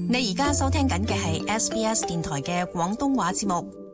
你而家收聽緊嘅係 SBS 電台嘅廣東話節目。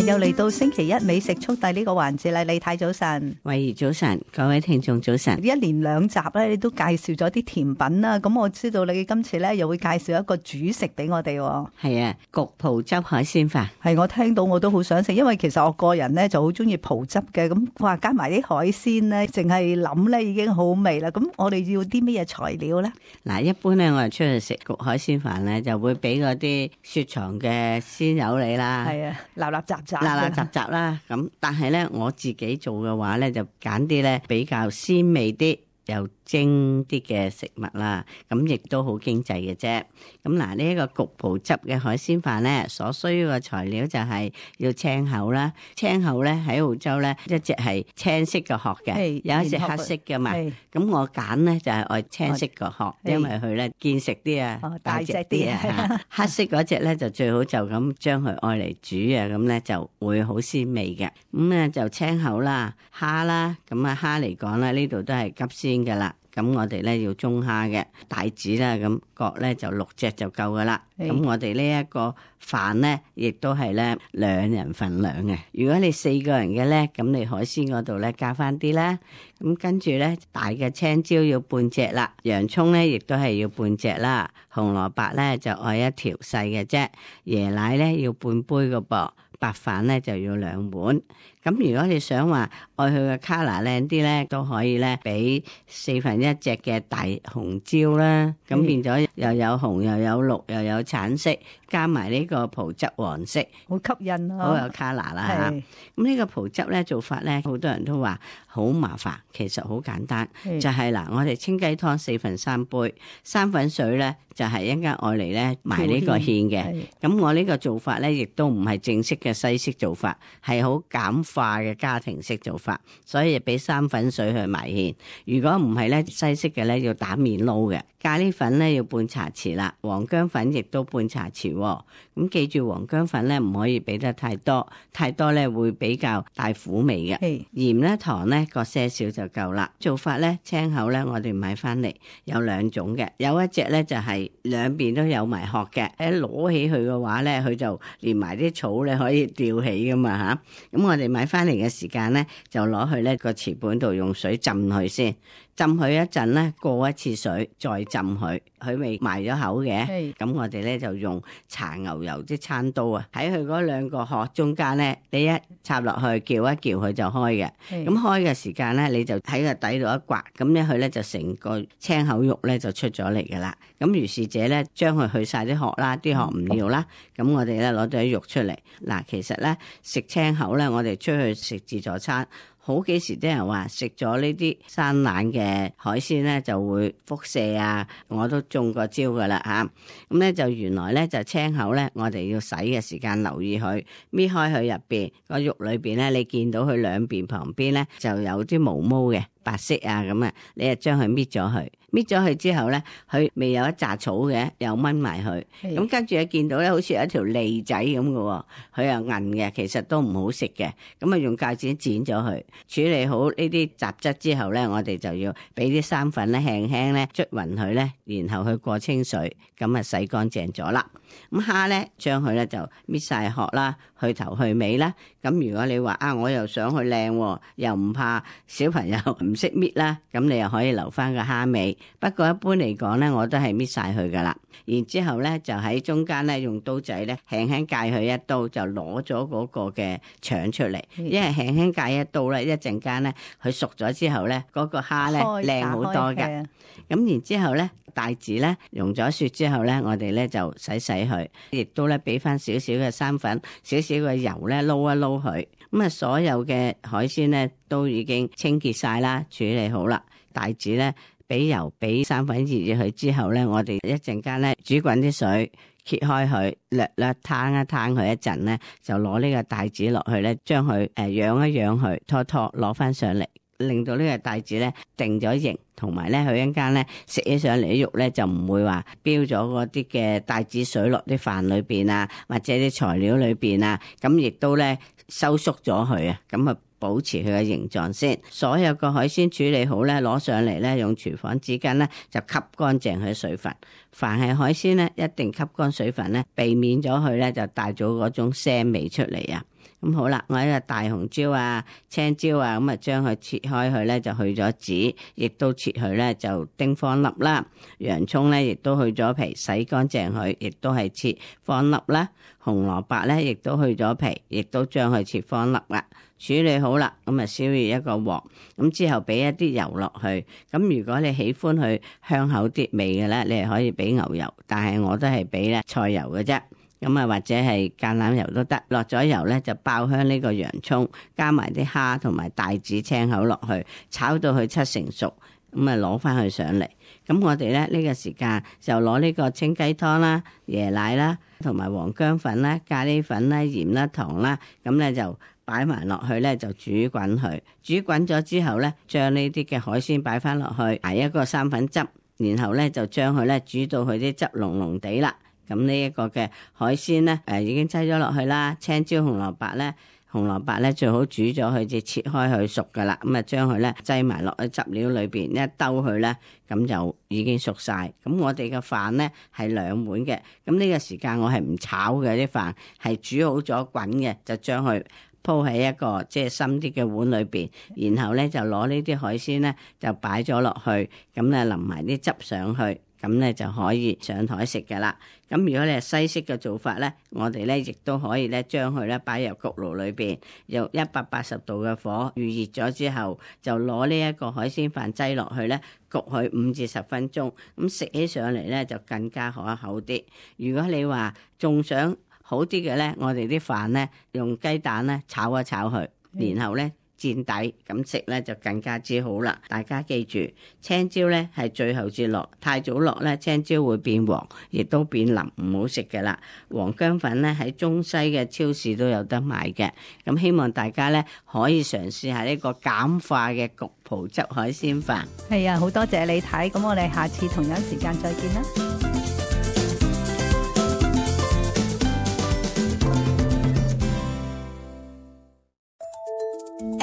又嚟到星期一美食速遞呢個環節啦，李太早晨，慧怡早晨，各位聽眾早晨。一連兩集咧，你都介紹咗啲甜品啦。咁我知道你今次咧又會介紹一個主食俾我哋。係啊，焗葡汁海鮮飯。係，我聽到我都好想食，因為其實我個人咧就好中意葡汁嘅。咁話加埋啲海鮮咧，淨係諗咧已經好味啦。咁我哋要啲咩嘢材料咧？嗱，一般咧我哋出去食焗海鮮飯咧，就會俾嗰啲雪藏嘅鮮油你啦。係啊，立立雜雜啦。咁但係咧我自己做嘅話咧，就揀啲咧比較鮮味啲又精啲嘅食物啦，咁亦都好經濟嘅啫。咁嗱，呢一個焗葡汁嘅海鮮飯咧，所需要嘅材料就係要青口啦。青口咧喺澳洲咧，一隻係青色嘅殼嘅，有一隻黑色嘅嘛。咁我揀咧就係愛青色個殼，因為佢咧見食啲啊，大隻啲啊。黑色嗰隻咧就最好就咁將佢愛嚟煮啊，咁咧就會好鮮味嘅。咁咧就青口啦，蝦啦，咁啊蝦嚟講咧呢度都係急鮮噶啦。咁我哋咧要中蝦嘅帶子啦，咁各咧就6隻就夠噶啦。咁我哋呢一個飯咧，亦都係咧2人份量嘅。如果你4個人嘅咧，咁你海鮮嗰度咧加翻啲啦。咁跟住咧，大嘅青椒要半隻啦，洋葱咧亦都係要半隻啦，紅蘿蔔咧就愛1條細嘅啫，椰奶咧要半杯個噃。白飯咧就要2碗，咁如果你想話愛佢嘅 colour 靚啲咧，都可以咧俾1/4隻嘅大紅椒啦，咁變咗又有紅又有綠又有橙色，加埋呢個葡汁黃色，好吸引咯，好有 colour 啦嚇。咁呢個葡汁咧做法咧，好多人都話好麻煩，其實好簡單，就係嗱，我哋清雞湯4/3杯，生粉水咧就係一陣間愛嚟咧埋呢個芡嘅。咁我呢個做法咧，亦都唔係正式嘅西式做法，係好簡化嘅家庭式做法，所以俾生粉水去埋芡。如果唔係咧，西式嘅咧要打面撈嘅。咖喱粉咧要半茶匙啦，黃薑粉亦都半茶匙。咁記住黃薑粉咧唔可以俾得太多，太多咧會比較帶苦味嘅。鹽咧糖咧各些少就夠啦。做法咧青口咧我哋買翻嚟有2種嘅，有一隻咧就係兩邊都有埋殼嘅，一攞起佢嘅話咧，佢就連埋啲草咧可以吊起噶嘛吓。咁我哋買翻嚟嘅時間咧，就攞去咧個瓷盤度用水浸佢先。浸佢一陣咧，過一次水，再浸佢，佢未埋咗口嘅。咁我哋咧就用搽牛油啲餐刀啊，喺佢嗰2個殼中間咧，你一插落去，撬一撬佢就開嘅。咁開嘅時間咧，你就喺個底度一刮，咁咧佢咧就成個青口肉咧就出咗嚟噶啦。咁如是者咧，將佢去晒啲殼啦，啲殼唔要啦。咁我哋咧攞咗啲肉出嚟。嗱，其實咧食青口咧，我哋出去食自助餐。好幾時啲人話食咗呢啲生冷嘅海鮮咧就會輻射啊，我都中過招噶啦嚇。咁咧就原來咧就青口咧，我哋要洗嘅時間留意佢，搣開佢入邊個肉裏邊咧，你見到佢兩邊旁邊咧就有啲毛毛嘅。白色啊咁啊，你就將佢搣咗佢，搣咗佢之後咧，佢未有一紮草嘅，又掹埋佢。咁跟住你見到咧，好似有一條脷仔咁嘅，佢又韌嘅，其實都唔好食嘅。咁啊，用鉸剪剪咗佢，處理好呢啲雜質之後咧，我哋就要俾啲生粉咧輕輕咧捽勻佢咧，然後去過清水，咁啊洗乾淨咗啦。咁蝦咧，將佢咧就搣晒殼啦，去頭去尾啦。咁如果你話啊，我又想去靚，又唔怕小朋友唔識搣啦，咁你又可以留翻個蝦尾。不過一般嚟講咧，我都係搣晒佢噶啦。然之後咧，就喺中間咧用刀仔咧輕輕界佢一刀，就攞咗嗰個嘅腸出嚟。因為輕輕界一刀咧，一陣間咧佢熟咗之後咧，嗰個蝦咧靚好多㗎。咁然之後咧，帶子咧溶咗雪之後咧，我哋咧就洗佢，亦都咧俾翻少少嘅生粉、少少嘅油咧撈一撈佢。咁啊，所有嘅海鮮咧都已經清潔晒啦，處理好啦。帶子咧俾油、俾生粉熱佢之後咧，我哋一陣間咧煮滾啲水，揭開佢，略略攤一攤佢一陣咧，就攞呢個帶子落去咧，將佢養一養佢，拖攞翻上嚟。令到呢個帶子咧定咗型，同埋咧佢一陣間咧食起上嚟啲肉咧就唔會話飆咗嗰啲嘅帶子水落啲飯裏邊啊，或者啲材料裏邊啊，咁亦都咧收縮咗佢啊，咁啊保持佢嘅形狀先。所有個海鮮處理好咧，攞上嚟咧，用廚房紙巾咧就吸乾淨佢水分。凡係海鮮咧，一定吸乾水分咧，避免咗佢咧就帶咗嗰種腥味出嚟啊！咁好啦，我呢個大紅椒啊、青椒啊，咁啊將佢切開佢咧就去咗籽，亦都切佢咧就丁方粒啦。洋葱咧亦都去咗皮，洗乾淨佢，亦都係切方粒啦。紅蘿蔔咧亦都去咗皮，亦都將佢切方粒啦。處理好啦，咁啊燒熱一個鑊，咁之後俾一啲油落去。咁如果你喜歡佢香口啲味嘅咧，你係可以俾牛油，但係我都係俾咧菜油嘅啫。咁啊或者係橄欖油都得。落咗油咧就爆香呢個洋葱，加埋啲蝦同埋帶子青口落去，炒到佢七成熟，咁啊攞翻佢上嚟。咁我哋咧呢個時間就攞呢個清雞湯啦、椰奶啦、同埋黃薑粉啦、咖喱粉啦、鹽啦、糖啦，咁咧就擺埋落去咧就煮滾佢。煮滾咗之後咧，將呢啲嘅海鮮擺翻落去，捱一個生粉汁，然後咧就將佢咧煮到佢啲汁濃濃地啦。咁呢一個嘅海鮮咧，已經擠咗落去啦。青椒、紅蘿蔔咧最好煮咗佢，至切開佢熟噶啦。咁啊將佢咧擠埋落去汁料裏邊，一兜佢咧，咁就已經熟晒。咁我哋嘅飯咧係2碗嘅。咁呢個時間我係唔炒嘅，啲飯係煮好咗滾嘅，就將佢鋪喺一個即係深啲嘅碗裏邊，然後咧就攞呢啲海鮮咧就擺咗落去，咁咧淋埋啲汁上去。咁咧就可以上台食嘅啦。咁如果你係西式嘅做法咧，我哋咧亦都可以咧將佢咧擺入焗爐裏邊，用180度嘅火預熱咗之後，就攞呢一個海鮮飯擠落去咧，焗佢5至10分鐘。咁食起上嚟咧就更加可口啲。如果你話仲想好啲嘅咧，我哋啲飯咧用雞蛋咧炒一炒佢，然後咧墊底咁食咧就更加之好啦。大家記住，青椒咧係最後至落，太早落咧青椒會變黃，亦都變腍，唔好食嘅啦。黃薑粉咧喺中西嘅超市都有得買嘅。咁希望大家咧可以嘗試下呢個簡化嘅焗葡汁海鮮飯。係啊，好多謝你睇，咁我哋下次同樣時間再見啦。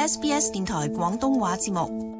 SBS 電台廣東話節目。